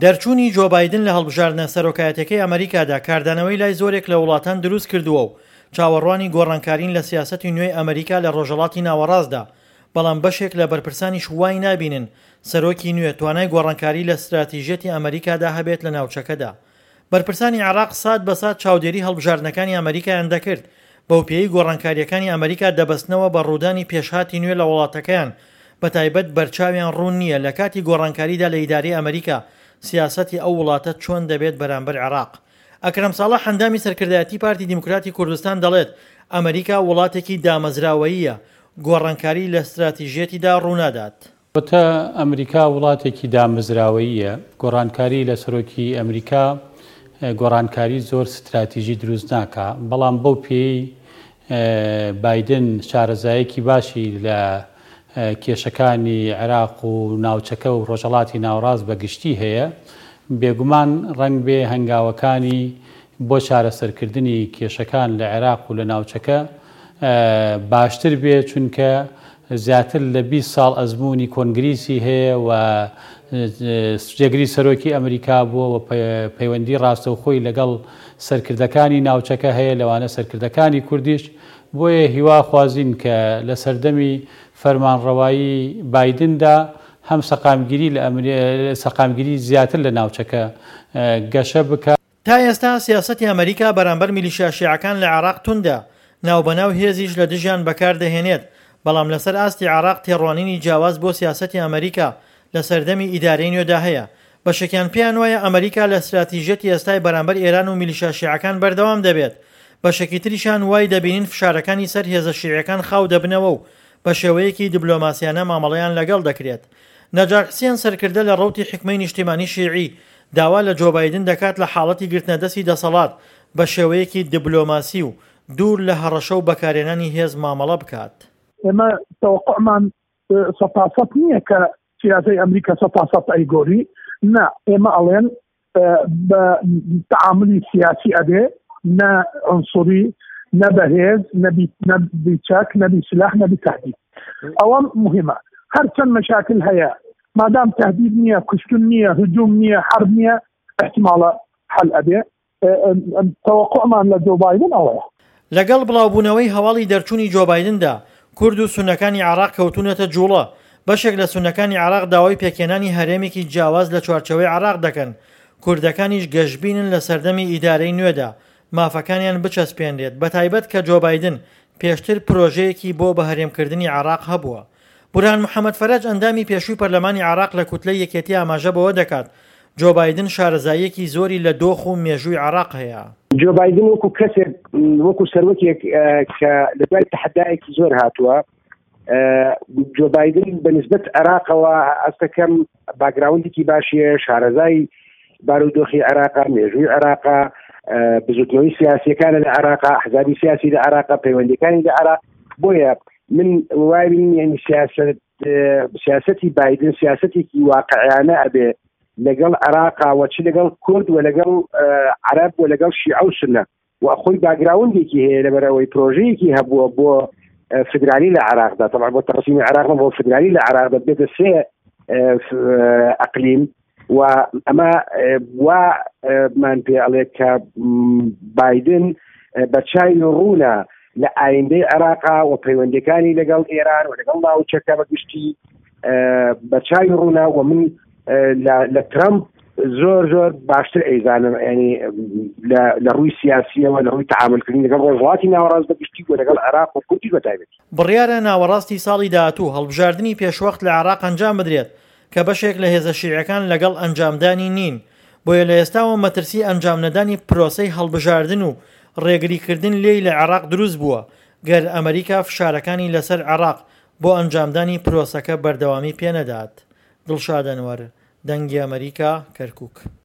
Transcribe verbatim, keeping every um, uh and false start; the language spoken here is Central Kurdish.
دەرچوونی جۆ بایدن لە هەڵبژاردنە سەرۆکایەتیەکەی ئەمریکادا کاردانەوەی لای زۆرێک لە وڵاتان دروست کردووە و چاوەڕوانی گۆڕانکارین لە سیاسەتی نوێی ئەمریکا لە ڕۆژهەڵاتی ناوەڕاستدا، بەڵام بەشێک لە بەرپرسانیش وای نابینن سەرۆکی نوێ توانای گۆڕانکاری لە ستراتیژیەتی ئەمریکادا هەبێت لە ناوچەکەدا. بەرپرسانی عێراق سات بە سات چاودێری هەڵبژاردنەکانی ئەمریکایان دەکرد، بەوپێیەی گۆڕانکارییەکانی ئەمریکا دەبەستنەوە بە ڕوودانی پێشهاتی نوێ لە وڵاتەکەیان، بەتایبەت بەرچاویان ڕوون نییە لە کاتی گۆڕانکاریدا لە ئیدارەی ئەمریکا سیاسەتی ئەو وڵاتە چۆن دەبێت بەرامبەر عێراق. ئەکرەم ساڵح ئەندامی سەرکردایەتی پارتی دیموکراتی کوردستان دەڵێت، ئەمریکا وڵاتێکی دامەزراوەییە، گۆڕانکاری لە ستراتیژیەتیدا ڕوونادات. وتە ئەمریکا وڵاتێکی دامەزراوەییە، گۆڕانکاری لە سەرۆکی ئەمریکا گۆڕانکاری زۆر ستراتیژی دروست ناکا، بەڵام بەو پێیەی بایدن شارەزایەکی باشی لە کێشەکانی عێراق و ناوچەکە و ڕۆژهەڵاتی ناوەڕاست بە گشتی هەیە، بێگومان ڕەنگبێ هەنگاوەکانی بۆ چارەسەرکردنی کێشەکان لە عێراق و لە ناوچەکە باشتر بێ، چونکە زیاتر لە بیست ساڵ ئەزموونی کۆنگریسی هەیە و جێگری سەرۆکی ئەمریکا بووە و پەیوەندی ڕاستەوخۆی لەگەڵ سەرکردەکانی ناوچەکە هەیە، لەوانە سەرکردەکانی کوردیش، بۆیە هیوا خوازین کە لە سەردەمی فەرمانڕەوایی بایدندا هەم سەقامگیری لە سەقامگیری زیاتر لە ناوچەکە گەشە بکات. تا ئێستا سیاسەتی ئەمریکا بەرامبەر میلیشیا شیعەکان لە عێراق توندە، ناوبەناو هێزیش لە دژیان بەکاردەهێنێت، بەڵام لەسەر ئاستی عێراق تێڕوانینی جیاواز بۆ سیاسەتی ئەمریکا لە سەردەمی ئیدارەی نوێدا هەیە، بەشێکیان پێیانوایە ئەمریکا لە ستراتیژیەتی ئێستای بەرامبەر ئێران و میلیشیا شیعەکان بەردەوام دەبێت، بەشێکی تریشیان وای دەبینین فشارەکانی سەر هێزە شیعیەکان خاو دەبنەوە و بە شێوەیەکی دبلۆماسیانە مامەڵەیان لەگەڵ دەکرێت. نەجار حسێن سەرکردە لە ڕەوتی حیکمەی نیشتیمانی شیعی داوا لە جۆ بایدن دەکات لە حاڵەتی گرتنەدەستی دەسەڵات بە شێوەیەکی دبلۆماسی و دوور لە هەڕەشە و بەکارهێنانی هێز مامەڵە بکات. ئێمە تەوەقوعمان سەتا سەد نییە کە سیاسەی ئەمریکا سەتا سەد ئەیگۆری، نا، ئێمە ئەڵێن بە تەعاملی سیاسی ئەبێ، نە عنسوری، نە بەهێز، نە بی چەک، نە بی سلاح، نە بی تەهدید. ئەوە مهمە. هەرچەند مەشاکل هەیە، مادام تەهدید نییە، کوشتن نییە، هجوم نییە، حرب نییە، احتمالە حل ئەبێ. تەوەقوعمان لە جۆ بایدن ئەوەیە. لەگەڵ بڵاوبوونەوەی هەواڵی دەرچوونی جۆ بایدندا، کورد و سوننەکانی عێراق کەوتوونەتە جوڵە، بەشێک لە سوننەکانی عێراق داوای پێکهێنانی هەرێمێکی جیاواز لە چوارچێوەی عێراق دەکەن، کوردەکانیش گەشبینن لە سەردەمی ئیدارەی نوێدا مافەکانیان بچەسپێنرێت، بەتایبەت کە جۆ بایدن پێشتر پرۆژەیەکی بۆ بەهەرێمکردنی عێراق هەبووە. بورهان محەمەد فەرەج ئەندامی پێشووی پەرلەمانی عێراق لە کوتلەی یەکێتی ئاماژە بەوە دەکات، جۆ بایدن شارەزاییەکی زۆری لە دۆخ و مێژووی عێراق هەیە. جۆ بایدن وەکو کەسێک، وەکو سەرۆکێک کە لە دوای تەحەدایەکی زۆر هاتووە، جۆ بایدن بە نسبەت عێراقەوە ئەستەکەم باکگراوندێکی باشیە، شارەزای بارودۆخی عێراقە، مێژووی عێراقە، بزوتنەوەی سیاسیەکانە لە عێراقا، ئەحزابی سیاسی لە عێراقا، پەیوەندیەکانی لە عێراق. بۆیە من وای بینم یعنی سیاسەت، سیاسەتی بایدن سیاسەتێکی واقعیانە ئەبێ لەگەڵ عێراقا و چ لەگەڵ کورد و لەگەڵ عەرەب و لەگەڵ شیعە و سوننە، و خۆی باگراوندێکی هەیە لەبەرەوەی پرۆژەیەکی هەبووە بۆ فدرالی لە عێراقدا، طبعا بۆ تەقسیمی عێراق بۆ فدرالی لە عێراقدا بێتە سێ ئەقلیم، و ئەمە وا من پێ ئەڵێ کە بایدن بە چاوی ڕوونە لە ئایندەی عێراقا و پەیوەندەکانی لەگەڵ ئێران و لەگەڵ ناوچەکە بە گشتی بە چاوی ڕوونە. و من لە ترەمپ زۆر زۆر باشتر ئەیزانم، ینی لە ڕووی سیاسیەوە، لە ڕووی تەعاملکردن لەگەڵ ڕۆژهەڵاتی ناوەڕاست بە گشتی و لەگەڵ عێراق و کوردیش بە تایبەتی. بڕیارە ناوەڕاستی ساڵی داهاتوو هەڵبژاردنی پێشوەخت لە عێراق ئەنجام بدرێت کە بەشێک لە هێزە شیعیەکان لەگەڵ ئەنجامدانی نین، بۆیە لە ئێستاوە مەترسی ئەنجامنەدانی پرۆسەی هەڵبژاردن و ڕێگریکردن لێی لە عێراق دروست بووە، گەر ئەمریکا فشارەکانی لەسەر عێراق بۆ ئەنجامدانی پرۆسەکە بەردەوامی پێنەدات. دڵشاد ئەنوەر، دەنگی ئەمریکا، کەرکوک.